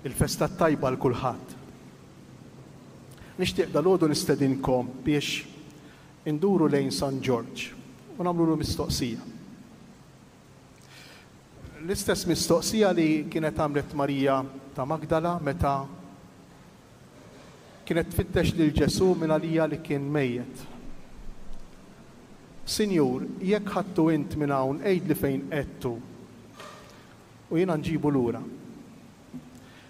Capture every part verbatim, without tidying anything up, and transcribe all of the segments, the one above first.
Il-festa tajba għal kulħadd. Nixtieq dalgħodu nistedinkom biex induru lejn San Ġorġ u nagħmlulu mistoqsija. L-istess mistoqsija li kienet għamlet Marija ta' Magdala meta kienet tfittex lil Ġesù minn għalija li kien mejjet. Sinjur, jekk ħadtu int minn hawn, għidli fejn qegħedtu u jiena nġibu lura.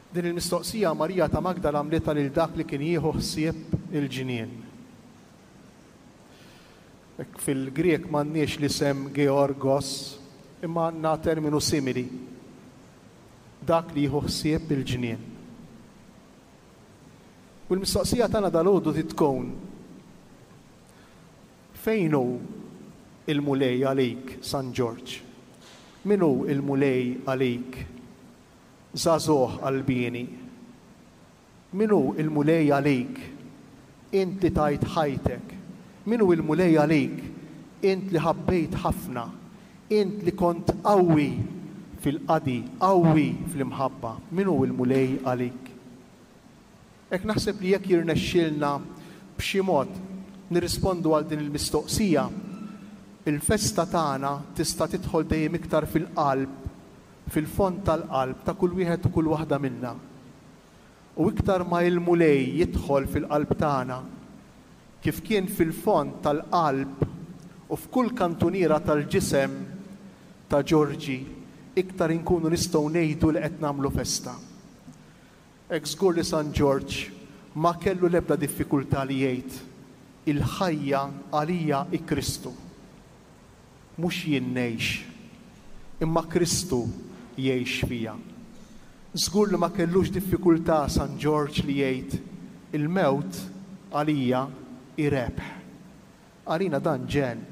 Din il-mistoqsija Marija ta' Magdala għamlitha lil dak li kien jieħu ħsieb il-ġnien. Fil-Grek m'għandniex l-isem Georgos, imma għandna terminu simili. Dak li jieħu ħsieb il-ġnien. U l-mistoqsija tagħna dalgħodu tkun: fejn hu il-Mulej għalik, San Ġorġ? Min hu il-Mulej għalik, żagħżugħ qalbieni? Min hu il-Mulej għalik, int li tajt ħajtek? Min hu il-Mulej għalik, int li ħabbejt ħafna, int li kont qawwi fil-qadi, qawwi fl-imħabba? Min hu il-Mulej għalik? Hekk naħseb li jekk jirnexxilna b'xi mod nirrispondu għal din il-mistoqsija, il-festa tagħna tista' tidħol dejjem iktar fil-qalb, fil-fond tal-qalb ta' kull wieħed u kull waħda minna. U iktar ma il-Mulej jidħol fil-qalb tagħna, kif kien fil-fond tal-qalb u f'kull kantuniera tal-ġisem ta' Ġorġi, iktar inkunu nistgħu ngħidu li qed nagħmlu festa. Hekk żgur li San Ġorġ ma kellu l-ebda diffikultà li jgħid: il-ħajja għalija hi Kristu. Mhux jien ngħix, imma Kristu jgħix fija. Żgur li ma kellux diffikultà San Ġorġ li jgħid: il-mewt għalija hi rebħ. Għalina dan ġenn.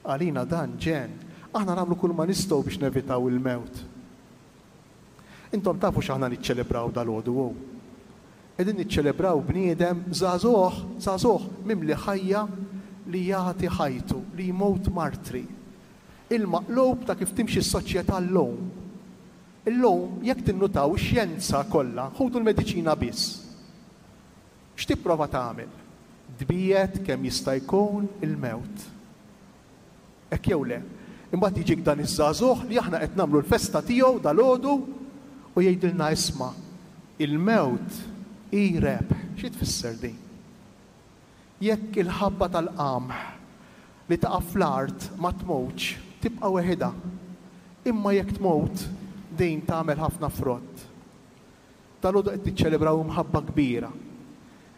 Għalina dan ġenn. Aħna nagħmlu kull ma nistgħu biex nevitaw il-mewt. Intom tafu x'aħna niċċelebraw dalgħodu hu? Qegħdin niċċelebraw bniedem żagħżugħ, żagħżugħ mimli ħajja li jagħti ħajtu, li jmut martri. Il-maqlub ta' kif timxi s-soċjetà llum. Illum, jekk tinnutaw ix-xjenza kollha, ħudu l-mediċina biss. X'tipprova tagħmel? Tbiegħed kemm jista' jkun il-mewt. Hekk jew le? Imbagħad jiġik dan iż-żagħżugħ li aħna qed nagħmlu l-festa tiegħu dalgħodu u jgħidilna: isma', il-mewt hi rebħ. Xi tfisser din? Jekk il-ħabba tal-qamħ li taqa' fl-art ma tmutx, tibqa' weħidha. Imma jekk tmut, din tagħmel ħafna frott. Dalgħodu qed niċċelebraw imħabba kbira.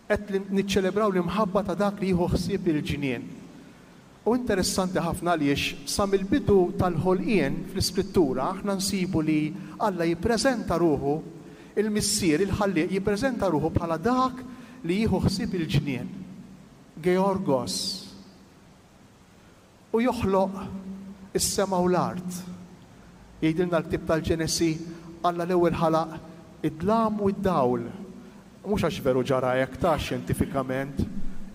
Qed niċċelebraw l-imħabba ta' dak li jieħu ħsieb il-ġnien. U interessanti ħafna għaliex sa mill-bidu tal-ħolqien fl-Iskrittura aħna nsibu li Alla jippreżenta ruħu, il-Missier, il-Ħallieq, jippreżenta ruħu bħala dak li jieħu ħsieb il-ġnien. Georgos. U joħloq is-sema u l-art. Jgħidilna l-ktieb tal-Ġenesi, Alla l-ewwel ħalaq id-dlam u d-dawl. Mhux għax veru ġara hekk ta' xjentifikament,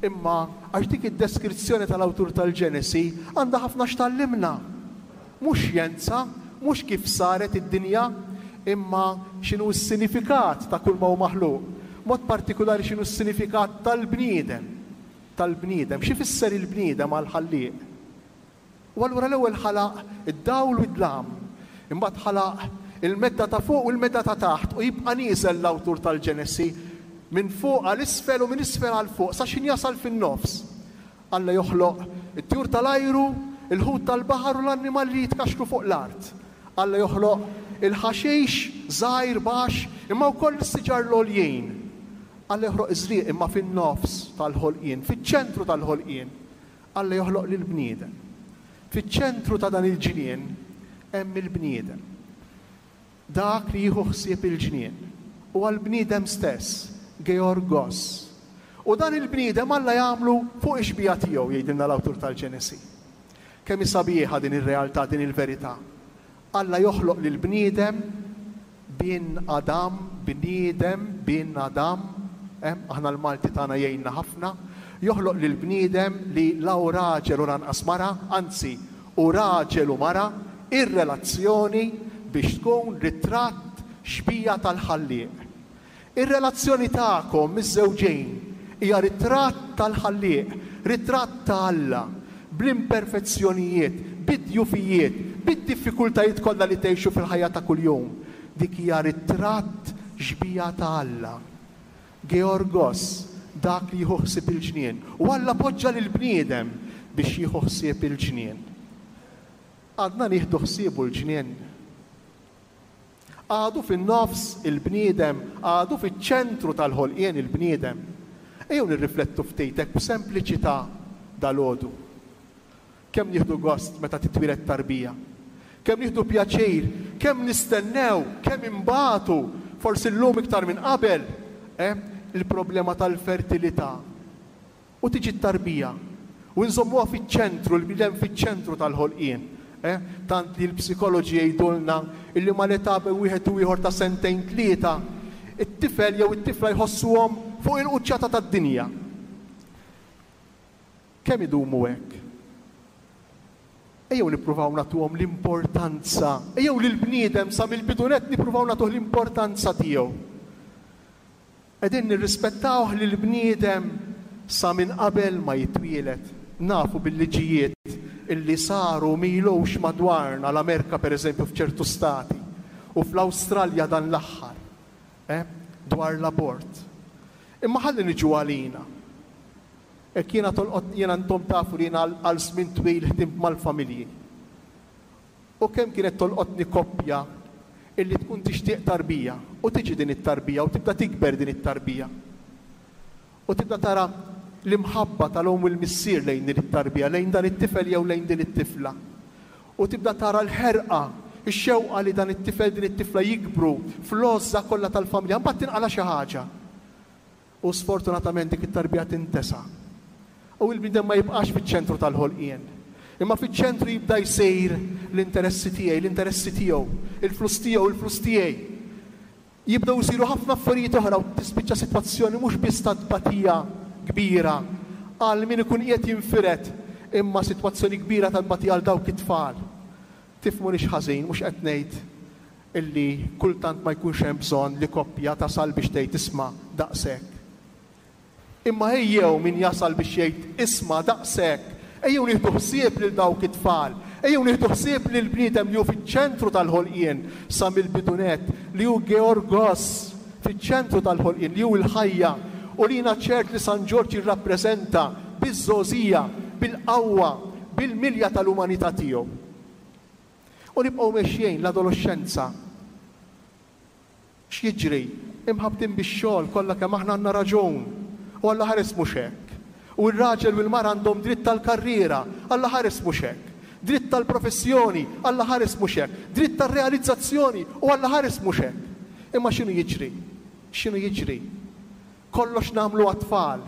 imma għax dik id-deskrizzjoni tal-awtur tal-Ġenesi għandha ħafna x'tgħallimna. Mhux xjenza, mhux kif saret id-dinja, imma x'inhu s-sinifikat ta' kull ma hu maħluq. Mod partikulari x'inhu s-sinifikat tal-bniedem. Tal-bniedem, x'ifisser il-bniedem għall-Ħallieq? U allura l-ewwel ħalaq id-dawl u d-dlam, imbagħad ħalaq il-medda ta' fuq u l-medda ta' taħt, u jibqa' nieżel l-awtur tal-Ġenesi minn fuq għal isfel u minn isfel għal fuq sa x'ħin jasal fin-nofs. Alla joħloq it-tjur tal-ajru, il-ħut tal-baħar u l-annimali li jitkaxkru fuq l-art. Alla joħloq il-ħaxix żgħir baxx imma wkoll is-siġar l-għoljin. Alla joħloq iż-żrieq, imma fin-nofs tal-ħolqien, fiċ-ċentru tal-ħolqien, Alla joħloq lill-bniedem. Fiċ-ċentru ta' dan il-ġnien hemm il-bniedem. Dak li jieħu ħsieb il-ġnien u għall-bniedem stess, Georgos. U dan il-bniedem Alla jagħmlu fuq ix-xbieha tiegħu, jgħidilna l-awtur tal-Ġenesi. Kemm hi sabiħa din ir-realtà, din il-verità. Alla joħloq lill-bniedem bin Adam, bniedem bin Adam, eh, aħna l-Malti tagħna jgħinna ħafna, joħloq lill-bniedem li la hu raġel u lanqas mara, anzi hu raġel u mara, ir-relazzjoni biex tkun ritratt xbieha tal-Ħallieq. Ir-relazzjoni tagħkom miż-żewġejn hija ritratt tal-Ħallieq, ritratt ta' Alla, bl-imperfezzjonijiet, bid-djufijiet, bid-diffikultajiet kollha li tgħixu fil-ħajja ta' kuljum. Dik hija ritratt xbieha ta' Alla. Georgos, dak li jieħu ħsieb il-ġnien. U Alla poġġa lill-bniedem biex jieħu ħsieb il-ġnien. Għadna nieħdu ħsiebu l-ġnien. Għadu fin-nofs il-bniedem, għadu fiċ-ċentru tal-ħolqien il-bniedem. Ejjew nirriflettu ftit hekk b'sempliċità dalgħodu. Kemm nieħdu gost meta titwieled tarbija. Kemm nieħdu pjaċir, kemm nistennew, kemm imbatu, forsi llum iktar minn qabel, eh, il-problema tal-fertilità. U tiġi t-tarbija. U nżommuha fiċ-ċentru, il-bniedem fiċ-ċentru tal-ħolqien. Eh, tant li l-psikoloġi jgħidulna illi mal-età bejn wieħed u ieħor ta' sentejn tlieta, it-tifel jew it-tifla jħossuhom fuq il-quċċata tad-dinja. Kemm idumu hekk? Ejjew nippruvaw nagħtuhom l-importanza, ejjew lill-bniedem sa mill-bidu nett nippruvaw nagħtuh l-importanza tiegħu. Qegħdin nirrispettawh lill-bniedem sa minn qabel ma jitwieled. Nafu bil-liġijiet illi saru m'ilux madwarna, l-Amerika per eżempju f'ċertu stati u fl-Awstralja dan l-aħħar, eh, dwar l-abort. Imma ħalli niġu għalina. Hekk jiena tolqot, jiena intom tafu li jiena għal żmien twil ħdimt mal-familji. U kemm kienet tolqotni koppja illi tkun tixtieq tarbija u tiġi din it-tarbija u tibda tikber din it-tarbija. U tibda tara l-imħabba tal-omm u l-missier lejn din it-tarbija, lejn dan it-tifel jew lejn din it-tifla. U tibda tara l-ħerqa, ix-xewqa li dan it-tifel din it-tifla jikbru fl-għożża kollha tal-familja, mbagħad tinqala xi ħaġa. U sfortunatament dik it-tarbija tintesa. U l-bniedem ma jibqax fiċ-ċentru tal-ħolqien. Imma fiċ-ċentru jibda jsir l-interessi tiegħi, l-interessi tiegħu, il-flus tiegħu, il-flus tiegħi. Jibdew isiru ħafna affarijiet oħra u tispiċċa sitwazzjoni mhux biss ta' tbatija kbira għal min ikun qiegħed jinfired, imma sitwazzjoni kbira ta' tbatija għal dawk it-tfal. Tifhmunix ħażin, mhux qed ngħid illi kultant ma jkunx hemm bżonn li koppja tasal biex tgħid isma' daqshekk. Imma ejjew min jasal biex jgħid isma' daqshekk, ejjew nieħdu ħsieb lil dawk it-tfal, ejjew nieħdu ħsieb lil bniedem li hu fiċ-ċentru tal-ħolqien sa mill-bidu nett, li hu Georgos fiċ-ċentru tal-ħolqien, li hu l-ħajja, u li jiena ċert li San Ġorġ jirrappreżenta biż-żgħożija, bil-qawwa, bil-milja tal-umanità tiegħu. U nibqgħu mexjin l-adolescenza. X'jiġri? Imħabtin bix-xogħol kollha kemm aħna għandna raġun. U Alla ħares mhux hekk. U r-raġel u l-mara għandhom dritt tal-karriera, Alla ħares mhux hekk. Dritt tal-professjoni, Alla ħares mhux hekk. Dritt tal-realizzazzjoni, u Alla ħares mhux hekk. Imma x'inhu jiġri? X'inhu jiġri? Kollox nagħmlu għat-tfal.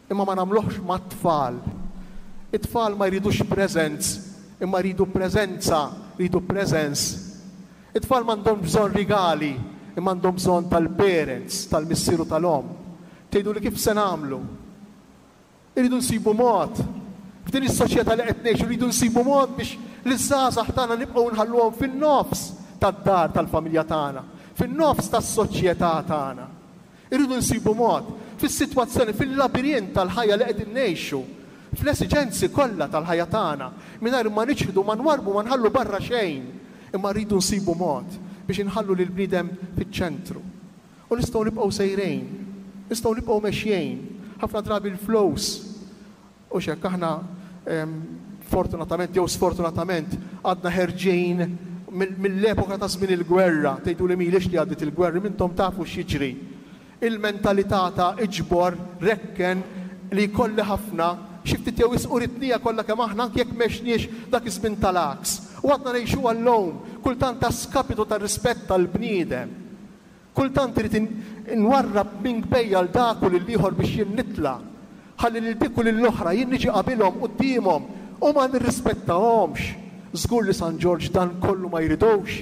Imma ma nagħmluhx mat-tfal. It-tfal ma jridux presents, imma jridu preżenza, jridu presence. It-tfal m'għandhom bżonn rigali, imma għandhom bżonn tal-parents, tal-missier u tal-omm. Tgħidu li kif se nagħmlu? Irridu nsibu mod. F'din is-soċjetà li qed ngħixu rridu nsibu mod biex liż-żgħażagħ tagħna nibqgħu nħalluhom fin-nofs tad-dar tal-familja tagħna, fin-nofs tas-soċjetà tagħna. Irridu nsibu mod fis-sitwazzjoni, fil-labirint tal-ħajja li qegħdin ngħixu, fl-esiġenzi kollha tal-ħajja tagħna, mingħajr ma niċħdu, ma nwarbu, ma nħallu barra xejn, imma rridu nsibu mod biex inħallu lil bniedem fiċ-ċentru. U nistgħu nibqgħu sejrejn, nistgħu nibqgħu mexjejn, ħafna drabi l-flows. U x'hekk aħna, em, fortunatament jew sfortunatament għadna ħerġin mill-epoka ta' żmien il-gwerra, tgħidu li m'ilhiex li għaddiet il-gwerra, mintom tafu x'jiġri. Il-mentalità ta' iġbor, rekken, li jkolli ħafna, xi ftit jew wisq uritnija kollha kemm aħna anke jekk m'għexniex dak iż-żmien tal-għaks. U għadna ngħixu għallum, kultant ta' skapitu ta' rispett tal-bniedem. Kultant irid nwarrab minn kbejja l dak u lil ieħor biex jien nitla'. Ħalli lil dik u lil oħra jien niġi qabilhom quddiemhom u ma nirrispettahomx. Żgur li San Ġorġ dan kollu ma jridux.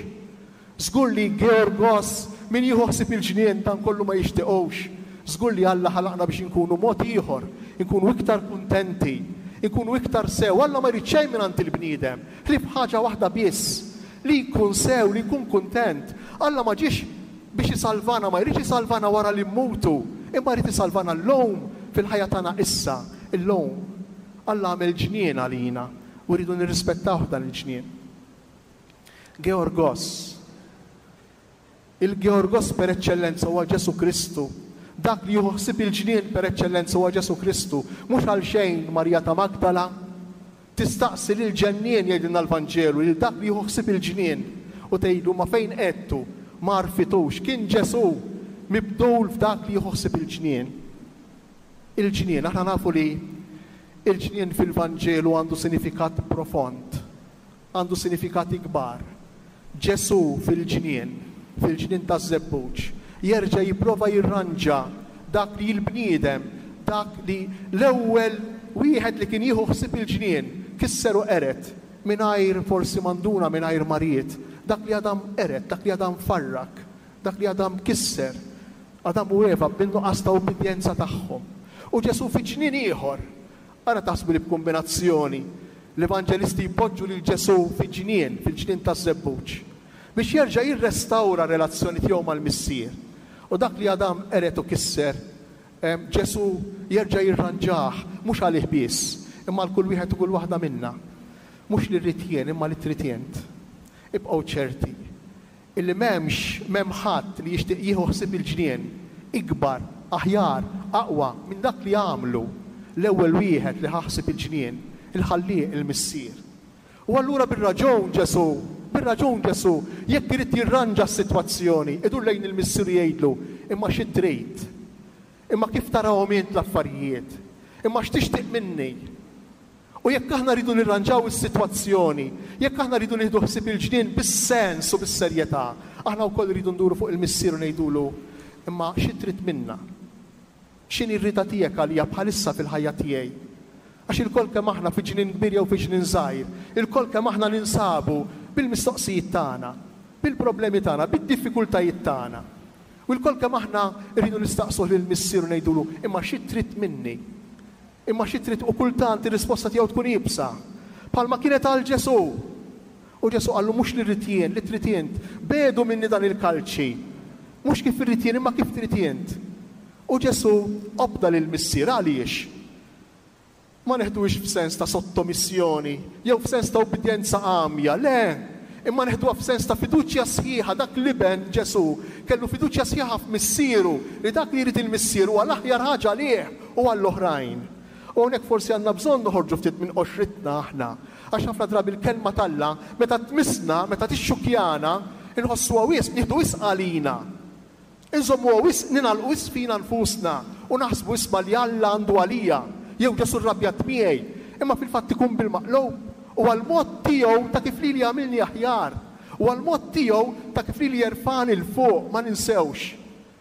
Żgur li Georgos min jieħu ħsieb il-ġnien dan kollu ma jixtiequx. Żgur li Alla ħalaqna biex inkunu mod ieħor, inkunu iktar kuntenti, inkunu iktar sew. Alla ma jrid xejn mingħand il-bniedem, ħlief ħaġa waħda biss, li jkun sew, li jkun kuntent. Alla ma ġiex biex isalvana, ma jridx isalvana wara li mmutu, imma jrid isalvana llum fil-ħajja tagħna issa, illum. Alla għamel ġnien għalina u rridu nirrispettaw dan il-ġnien. Georgos. Il-Georgos per eċċellenza huwa Ġesù Kristu. Dak li jieħu ħsieb il-ġnien per eċċellenza huwa Ġesù Kristu. Mhux għalxejn Marija ta' Magdala tistaqsi lil ġennien, jgħidilna l-Vanġelu, lil dak li jieħu ħsieb il-ġnien u tgħidlu ma fejn qegħedtu, ma għarfitux. Kien Ġesù mibdul f'dak li jieħu ħsieb il-ġnien. Il-ġnien, aħna nafu li il-ġnien fil-Vanġelu għandu sinifikat profond, għandu sinifikati kbar. Ġesù fil-ġnien, fil-ġnien taż-żebbuġ, jerġa' jipprova jirranġa dak li l-bniedem, dak li l-ewwel wieħed li kien jieħu ħsieb il-ġnien, kisser u qered, mingħajr forsi manduna, mingħajr marijiet, dak li Adam qered, dak li Adam farrak, dak li Adam kisser, Adam u Eva bin-nuqqas ta' ubbidjenza tagħhom. U Ġesù fi ġnien ieħor, ara taħsbu li b'kombinazzjoni l-evanġelisti jpoġġu lil Ġesù fi ġnien, fil-ġnien taż-żebbuġ, biex jerġa' jirrestawra relazzjoni tiegħu mal-Missier. U dak li Adam qered u kisser, Ġesù jerġa' jirranġah, mhux għalih biss, imma għal kull wieħed u kull waħda minna. Mhux li rrid jien, imma li trid int. Ibqgħu ċerti illi m'hemmx, m'hemm ħadd li jixtieq jieħu ħsieb il-ġnien ikbar, aħjar, aqwa minn dak li għamlu l-ewwel wieħed li ħaħsib il-ġnien, il-Ħallieq, il-Missier. U allura bir-raġun Ġesù, bir-raġun Ġesù, jekk irid jirranġa s-sitwazzjoni, idur lejn il-Missier jgħidlu, imma xi trid? Imma kif tarahom int l-affarijiet? Imma x'tixtieq minni? U jekk aħna rridu nirranġaw is-sitwazzjoni, jekk aħna rridu nieħdu ħsieb il-ġnien bis-sens u bis-serjetà, aħna wkoll rridu nduru fuq il-Missier u ngħidulu, imma xi trid minna? X'inhi r-rieda tiegħek għalija bħalissa fil-ħajja tiegħi? Għax ilkoll kemm aħna fi ġnien kbir jew fi ġnien żgħir, ilkoll kemm aħna ninsabu bil-mistoqsijiet tagħna, bil-problemi tagħna, bid-diffikultajiet tagħna. U lkoll kemm aħna rridu nistaqsuh lill-Missier u ngħidulu, imma xi trid minni? Imma xi trid? U kultant ir-risposta tiegħu tkun iebsa, bħalma kienet għal Ġesù. U Ġesù qallu mhux li rrid jien, li trid int, bedu minni dan il-kalċi. Mhux kif irrid jien, imma kif trid int. U Ġesù obda lill-Missier. Għaliex? Ma neħduhiex f'sens ta' sottomissjoni jew f'sens ta' ubbidjenza għamja, le, imma neħduha f'sens ta' fiduċja sħiħa. Dak l-iben Ġesù kellu fiduċja sħiħa f'missieru, li dak li jrid il-Missier huwa l-aħjar ħaġa għalih u għall-oħrajn. U hawnhekk forsi għandna bżonn noħorġu ftit minn qoxritna aħna, għax ħafna drabi l-kelma t'Alla meta tmissna, meta tixxukjana, inħossuha wisq, nieħdu wisq għalina. Inżommuha wisq, ningħalqu wisq fina nfusna u naħsbu isma' li Alla għandu għalija, jew Ġesù rrabjat miegħi, imma fil-fatt ikun bil-maqlub u għall-mod tiegħu ta' kif lili jagħmilni aħjar, u għall-mod tiegħu ta' kif lili jerfani 'l fuq. Ma ninsewx,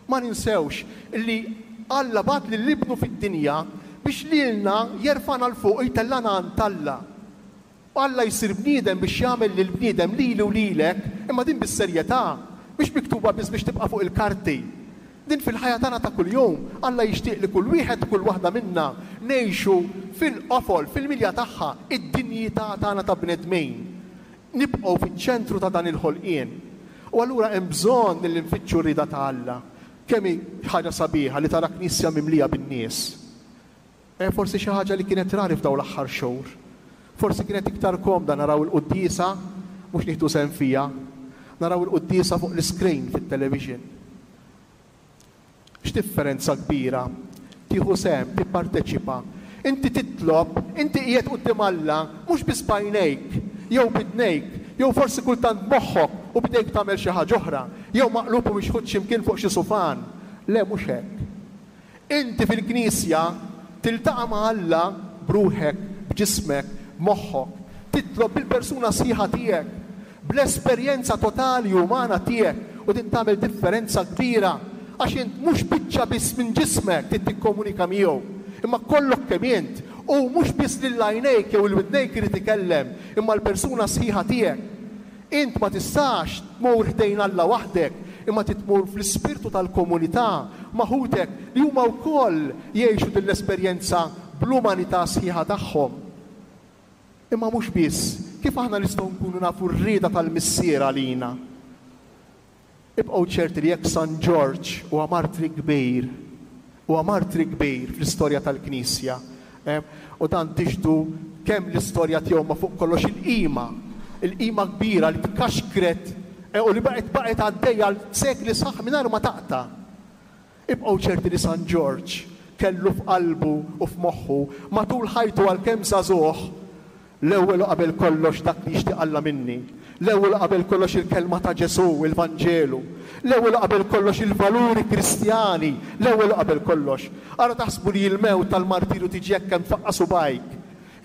ma ninsewx li Alla bagħat lil ibnu fid-dinja biex lilna jerfana 'l fuq u jtellana għand Alla. Alla jsir bniedem biex jagħmel lil bniedem lili u lilek, imma din bis-serjetà, mhix miktuba biss biex tibqa' fuq il-karti. Din fil-ħajja tagħna ta' kuljum, Alla jixtieq li kull wieħed u kull waħda minna ngħixu fil-qofol, fil-milja tagħha, id-dinjità tagħna ta' bnedmin. Nibqgħu fiċ-ċentru ta' dan il-ħolqien. U allura hemm bżonn li nfittxu r-rieda ta' Alla. Kemm hi ħaġa sabiħa li tara knisja mimlija bin-nies. E forsi xi ħaġa li kienet rari f'dawn l-aħħar xhur. Forsi kienet iktar komda naraw il-quddiesa, mhux nieħdu sehem fiha, naraw il-quddiesa fuq l-iscreen fit-television. X'differenza kbira tieħu sehem, tipparteċipa. Inti titlob, inti qiegħed quddiem Alla, mhux biss b'għajnejk, jew b'idnejk, jew forsi kultant b'moħħok u b'idejk tagħmel xi ħaġa oħra, jew maqlub u mixħut x'imkien fuq xi sufan. Le, mhux hekk. Inti fil-knisja tiltaqa' ma' Alla b'ruħek, b'ġismek, b'moħħok. Titlob bil-persuna sħiħa tiegħek, bl-esperjenza totali umana tiegħek, u din tagħmel differenza kbira, għax int mhux biċċa biss minn ġismek trid tikkomunika miegħu, imma kollok kemm int, u mhux biss lil għajnejk jew il-widnejk irid ikellem, imma l-persuna sħiħa tiegħek. Int ma tistax tmur ħdejn Alla waħdek, imma titmur fl-ispirtu tal-komunità ma' ħutek li huma wkoll jgħixu din l-esperjenza bl-umanità sħiħa tagħhom. Imma mhux biss, kif aħna nistgħu nkunu nafu r-rieda tal-Missier għalina? Ibqgħu ċerti li jekk San Ġorġ huwa martri kbir, huwa martri kbir fl-istorja tal-Knisja, eh, u dan tixhdu kemm l-istorja tiegħu ma fuq kollox il-qima, il-qima kbira li tkaxkret eh, u li baqgħet baqgħet għaddejja għal sekli sħaħ mingħajr ma taqta'. Ibqgħu ċerti li San Ġorġ kellu f'qalbu u f'moħħu matul ħajtu għalkemm żagħżugħ l-ewwel u qabel kollox dak li jixtieq Alla minni. L-ewwel u qabel kollox il-kelma ta' Ġesù, il-Vanġelu. L-ewwel u qabel kollox il-valuri Kristjani, l-ewwel u qabel kollox. Ara taħsbu li l-mewt tal-martirju tiġi hekk kemm tfaqqa' subgħajk.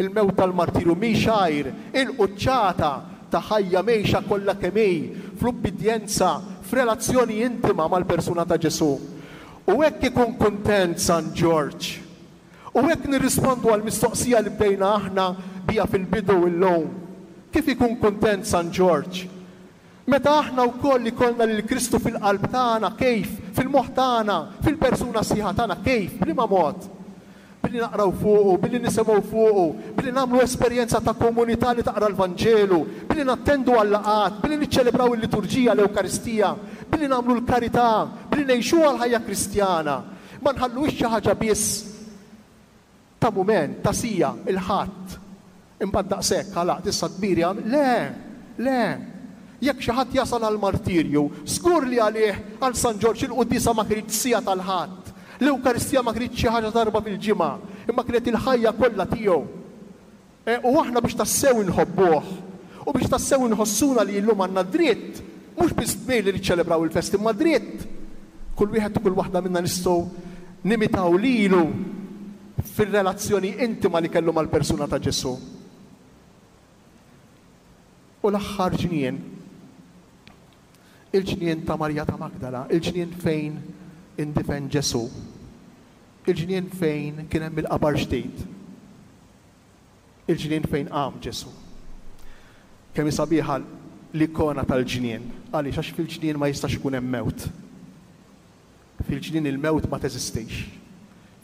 Il-mewt tal-martirju mhix għajr il-quċċata ta' ħajja mgħejxa kollha kemm hi fl-ubbidjenza, f'relazzjoni intima mal-persuna ta' Ġesù. U hekk ikun kuntent San Ġorġ. U hekk nirrispondu għall-mistoqsija li bdejna aħna biha fil-bidu illum. Kif ikun kuntent San Ġorġ? Meta aħna wkoll ikollna lil Kristu fil-qalb tagħna, kif? Fil-moħħ tagħna, fil-persuna sħiħa tagħna, kif? B'liema mod? Billi naqraw fuqu, billi nisimgħu fuqu, billi nagħmlu esperjenza ta' komunità li taqra l-Vanġelu, billi nattendu għal-laqgħat, billi niċċelebraw il-liturġija, l-Ewkaristija, billi nagħmlu l-karità, billi ngħixuha l-ħajja Kristjana. Ma nħalluhiex xi ħaġa biss ta' mument, ta' sija, il-Ħadd. Imbagħad daqshekk għalaqt issa kbiri għam. Le, le. Jekk xi ħadd jasal għall-martirju, żgur li għalih għal San Ġorġ il-quddiesa ma kinitx siegħa tal-Ħadd. L-Ewkaristija ma kinitx xi ħaġa darba fil-ġimgħa, imma kienet il-ħajja kollha tiegħu. E, u aħna biex tassew inħobbuh u biex tassew inħossuna li llum għandna dritt, mhux biss dmir li niċċelebraw il-festi, imma dritt. Kull wieħed u kull waħda minna nistgħu nimitaw lilu fir-relazzjoni intima li kellu mal-persuna ta' Ġesù. U l-aħħar ġnien, il-ġnien ta' Marija ta' Magdala, il-ġnien fejn indifen Ġesù, il-ġnien fejn kien hemm il-qabar ġdid, il-ġnien fejn qam Ġesù. Kemm hi sabiħa l-ikona tal-ġnien, għaliex għax fil-ġnien ma jistax ikun hemm mewt. Fil-ġnien il-mewt ma teżistix.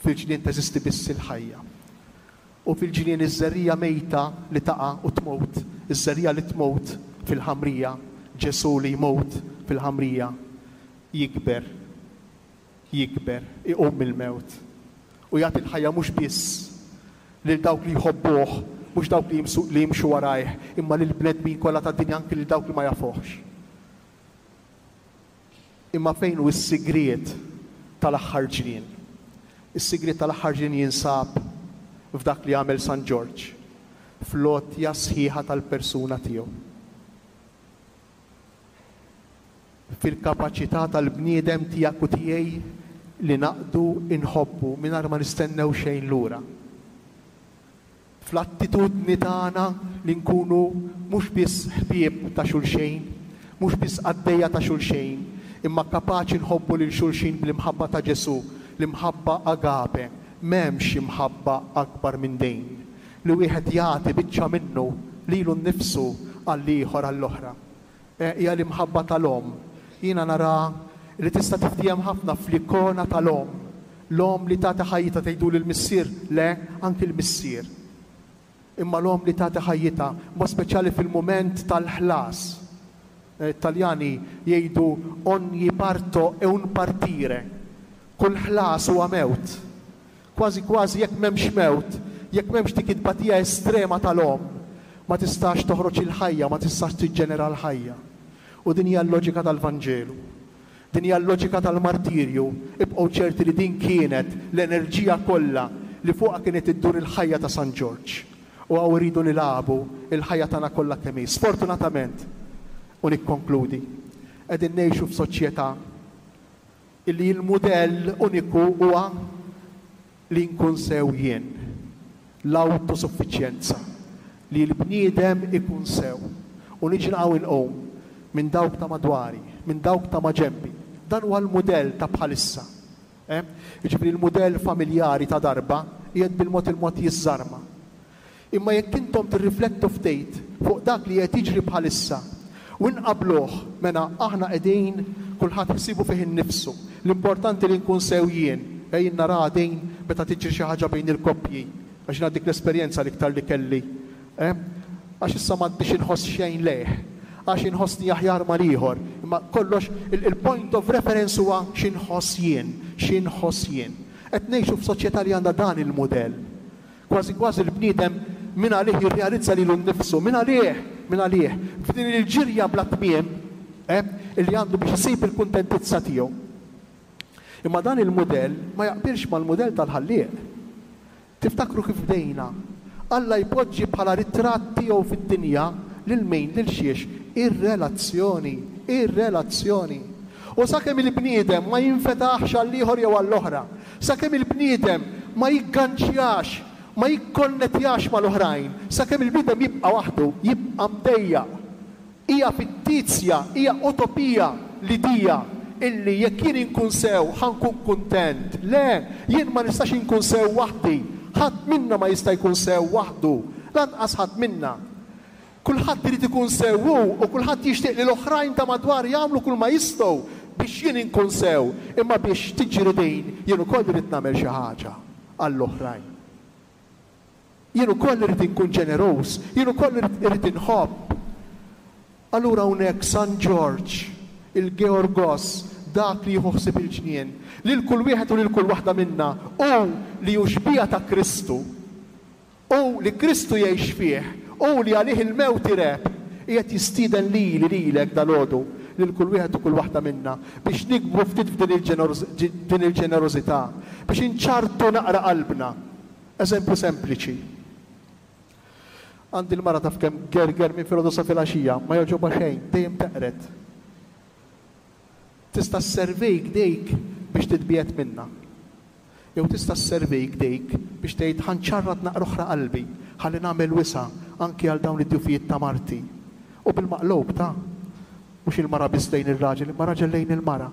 Fil-ġnien teżisti biss il-ħajja. U fil-ġnien iż-żerriegħa mejta li taqa' u tmut, iż-żerriegħa li tmut fil-ħamrija, Ġesù li jmut fil-ħamrija, jikber, jikber, iqum mill-mewt. U jagħti l-ħajja mhux biss lil dawk li jħobbuh, mhux dawk li jimsu, li jimxu warajh, imma lil bnedmin kollha tad-dinja, anki lil dawk li ma jafuhx. Imma fejn hu s-sigriet tal-aħħar ġnien? Is-sigriet tal-aħħar ġnien jinsab f'dak li għamel San Ġorġ, fl-għotja sħiħa tal-persuna tiegħu. Fil-kapaċità tal-bniedem tiegħek u tiegħi li naqdu inħobbu mingħajr ma nistennew xejn lura. Fl-attitudni tagħna li nkunu mhux biss ħbieb ta' xulxejn, mhux biss qaddejja ta' xulxejn, imma kapaċi nħobbu lil xulxin bl-imħabba ta' Ġesù, l-imħabba agape. M'hemmx imħabba akbar minn din, li wieħed jagħti biċċa minnu lilu nnifsu għall-ieħor għall-oħra. Hija l-imħabba tal-omm. Jiena nara li tista' tiftiehem ħafna fl-ikona tal-omm. L-omm li tagħti ħajjitha, tgħidu lill-missier, le, anki l-missier. Imma l-omm li tagħti ħajjitha, mod speċjali fil-mument tal-ħlas. Italjani jgħidu ogni parto è un partire. Kull ħlas huwa mewt. Kważi kważi jekk m'hemmx mewt, jekk m'hemmx dik it-tbatija estrema tal-omm, ma tistax toħroġ il-ħajja, ma tistax tiġġenera l-ħajja. U din hija l-loġika tal-Vanġelu. Din hija l-loġika tal-martirju. Ibqgħu ċerti li din kienet l-enerġija kollha li fuqha kienet iddur il-ħajja ta' San Ġorġ. U hawn iridu nilagħbu il-ħajja tagħna kollha kemm hi. Sfortunatament, u nikkonkludi, qegħdin ngħixu f'soċjetà illi l-mudell uniku huwa li nkun sew jien, l-autosuffiċjenza, li l-bniedem ikun sew. U niġi naqgħu inqum minn dawk ta' madwari, minn dawk ta' maġenbi. Dan huwa l-mudell ta' bħalissa. Eh? Jiġifieri l-mudell familjari ta' darba qiegħed bil-mod il-mod jiżżarma. Imma jekk intom tirriflettu ftit fuq dak li qed jiġri bħalissa u nqabluh, mela aħna qegħdin kulħadd ħsibu fih innifsu. L-importanti li nkun sew jien. Ejn nara din meta tiġri xi ħaġa bejn il-koppji, għax jiena dik l-esperjenza l-iktar li kelli. Eh? Għax issa m'għandix inħoss xejn lejh, għax inħossni aħjar mal-ieħor. Imma kollox il-point of reference huwa x'inħoss jien, x'inħoss jien. Qed ngħixu f'soċjetà li għandha dan il-mudell. Kważi kważi l-bniedem min għalih jirrealizza lilu nnifsu, min għalih, min għalih, f'din il-ġirja bla tmiem, eh, illi għandu biex isib il-kuntentizza tiegħu. Imma dan il-mudell ma jaqbilx mal-mudell tal-Ħallieq. Tiftakru kif bdejna? Alla jpoġġi bħala ritratt tiegħu fid-dinja lil min, lil xiex? Ir-relazzjoni, ir-relazzjoni. U sakemm il-bniedem ma jinfetaħx għall-ieħor jew għall-oħra, sakemm il-bniedem ma jigganċjax, ma jikkonnettjax mal-oħrajn, sakemm il-bniedem jibqa' waħdu, jibqa' mdejjaq. Hija fittizja, hija utopija l-idea illi jekk jien inkun sew ħa nkun kuntent. Le, jien ma nistax inkun sew waħdi. Ħadd minna ma jista' jkun sew waħdu, lanqas ħadd minna. Kulħadd irid ikun sew hu u kulħadd jixtieq li l-oħrajn ta' madwar jagħmlu kull ma jistgħu biex jien inkun sew, imma biex tiġri din jien ukoll irid nagħmel xi ħaġa għall-oħrajn. Jien ukoll irid inkun ġeneruż, jien ukoll irid inħobb. Allura hawnhekk San Ġorġ, il-Georgos, dak li jieħu ħsieb il-ġnien, lil kull wieħed u lil kull waħda minna, u li hu xbieha ta' Kristu, u li Kristu jgħix fih, u li għalih il-mewt ireb, qiegħed jistieden lili lilek dalgħodu, lil kull wieħed u kull waħda minna, biex nikbru ftit f'din il-ġenerożità, biex inċartu naqra qalbna. Eżempju sempliċi. Għandi l-mara taf kemm gerger minn filgħodu sa filgħaxija, ma jogħġobha xejn, dejjem teqred. Tista' sservik dejk biex titbiegħed minna. Jew tista' sservik dejk biex tgħid ħa nċarrat naqra oħra qalbi, ħalli nagħmel wisa' anki għal dawn id-djufijiet ta' marti. U bil-maqlub ta' mhux il-mara biss lejn ir-raġel, imma raġel lejn il-mara.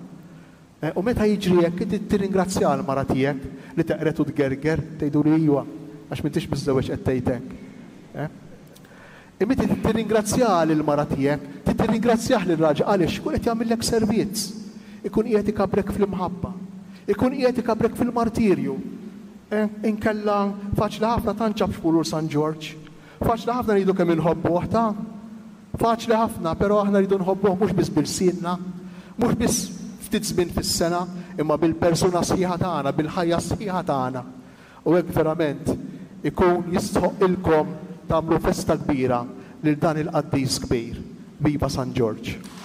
U meta jiġri hekk inti tirringrazzja l-mara tiegħek li teqred u tgerger, tgħiduli iwa, għax m'intix miżżewweġ qed tgħid hekk. Imma inti tirringrazzja lill-mara tiegħek, tirringrazzjah lir-raġel għaliex ikun qed jagħmillek servizz, ikun qiegħed ikabrek fl-imħabba, ikun qiegħed ikabrek fil-martirju. Inkella faċli ħafna tanċab f'kulur San Ġorġ, faċli ħafna ngħidu kemm inħobbuh ta' faċli ħafna, però aħna rridu nħobbuh mhux biss bil-sienna, mhux biss ftit żmien fis-sena, imma bil-persuna sħiħa tagħna, bil-ħajja sħiħa tagħna. U hekk verament ikun jistħoqilkom tagħmlu festa kbira lil dan il-qaddis kbir. Viva San Ġorġ!